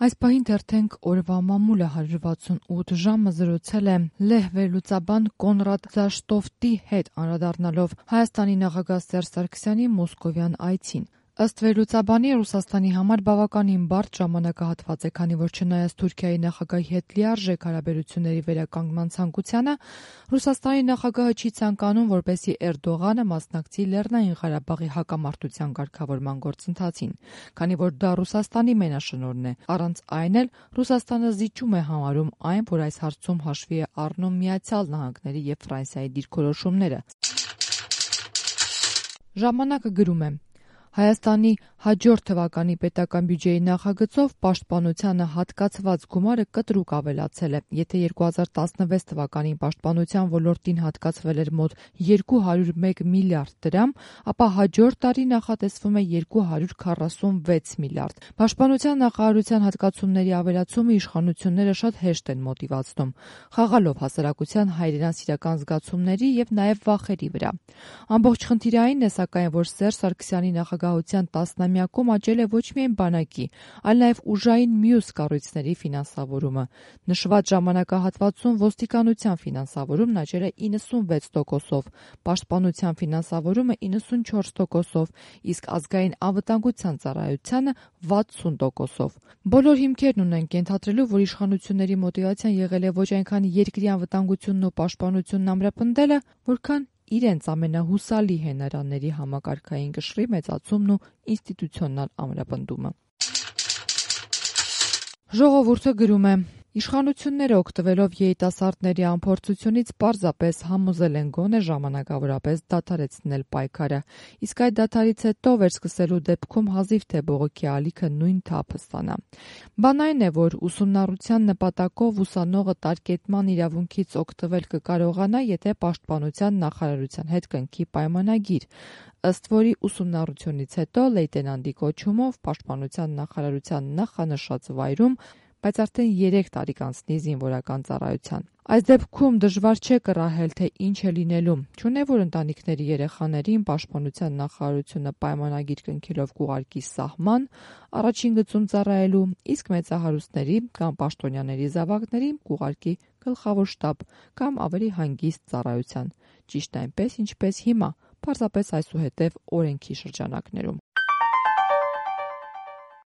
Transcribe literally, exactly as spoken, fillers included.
Այս պահին թերթենք օրվա մամուլը հարյուր վաթսունութ ժամը զրուցել է լեհ վերլուծաբան Կոնրադ Զաշտոֆտի հետ անդրադառնալով Հայաստանի նախագահ Սերժ Սարգսյանի մոսկովյան այցին։ Ըստ վերլուծաբանի, Ռուսաստանի համար բավականին բարդ ժամանակահատված է, քանի որ չնայած Թուրքիայի նախագահի հետ լիարժեք հարաբերությունների վերականգնման ցանկությանը, Ռուսաստանի նախագահը չի ցանկանում, որպեսզի Էրդողանը մասնակցի Լեռնային Ղարաբաղի հակամարտության կարգավորման գործընթացին, քանի որ դա Ռուսաստանի մենաշնորհն է։ Առանց այն էլ Ռուսաստանը զիջում է համարում այն, որ այս հարցում հաշվի է առնում Միացյալ Նահանգների և Ֆրանսիայի դիրքորոշումները։ Ժամանակը գրում է. Հայաստանի հաջորդ թվականի պետական բյուջեի նախագծով պաշտպանությանը հատկացված գումարը կտրուկ ավելացել է։ Եթե երկու հազար տասնվեց թվականին պաշտպանության ոլորտին հատկացվել էր մոտ երկու հարյուր մեկ միլիարդ դրամ, ապա հաջորդ տարի նախատեսվում է երկու հարյուր քառասունվեց միլիարդ։ Պաշտպանության նախարարության հատկացումների ավելացումը իշխանությունները շատ հեշտ են մոտիվացնում, խաղալով հասարակության հայրենասիրական զգացումների և նաև վախերի վրա։ Ամբողջ խնդիրը այն է, սակայն, որ Սերժ Սարգսյանի նախագահության տասնամյակում աճել է ոչ միայն բանակի, այլ նաև ուժային մյուս կառույցների ֆինանսավորումը։ Նշված ժամանակահատվածում ոստիկանության ֆինանսավորումն աճել է իննսունվեց տոկոսով, պաշտպանության ֆինանսավորումը իննսունչորս տոկոսով, իսկ ազգային անվտանգության ծառայությանը վաթսուն տոկոսով։ Բոլոր հիմքերն ունենք ենթադրելու, որ իշխանությունների մոտիվացիան եղել է ոչ այնքան երկրի անվտանգությունն ու պաշտպանությունն ամրապնդելը, որքան իրենց ամենահուսալի հենարանների համակարգային կշռի մեծացումն ու ինստիտուցիոնալ ամրապնդումը։ Ժողովուրդը գրում է. Իշխանությունները օգտվելով երիտասարդների անփորձությունից պարզապես համոզել են գոնե ժամանակավորապես դադարեցնել պայքարը, իսկ այդ դադարից հետո վերսկսելու դեպքում հազիվ թե բողոքի ալիքը նույն թափը ստանա։ Բան այն է, որ ուսումնառության նպատակով ուսանողը տարկետման իրավունքից օգտվել կկարողանա, եթե պաշտպանության նախարարության հետ կնքի պայմանագիր, ըստ որի ուսումնառությունից հետո լեյտենանտի կոչումով պաշտպանության նախարարության նախանշած վայրում, բայց արդեն երեք տարի կանցնի զինվորական ծառայության։ Այս դեպքում դժվար չէ կռահել, թե ինչ է լինելու, չունե որ ընտանիքների երեխաներին պաշտպանության նախարարությունը պայմանագիր կնքելով կուղարկի սահման, առաջին գծում ծառայելու, իսկ մեծահարուստների կամ պաշտոնյաների զավակներին կուղարկի գլխավոր շտաբ կամ ավելի հանգիստ ծառայության, ճիշտ այնպես, ինչպես հիմա, պարզապես այսուհետև օրենքի շրջանակներում։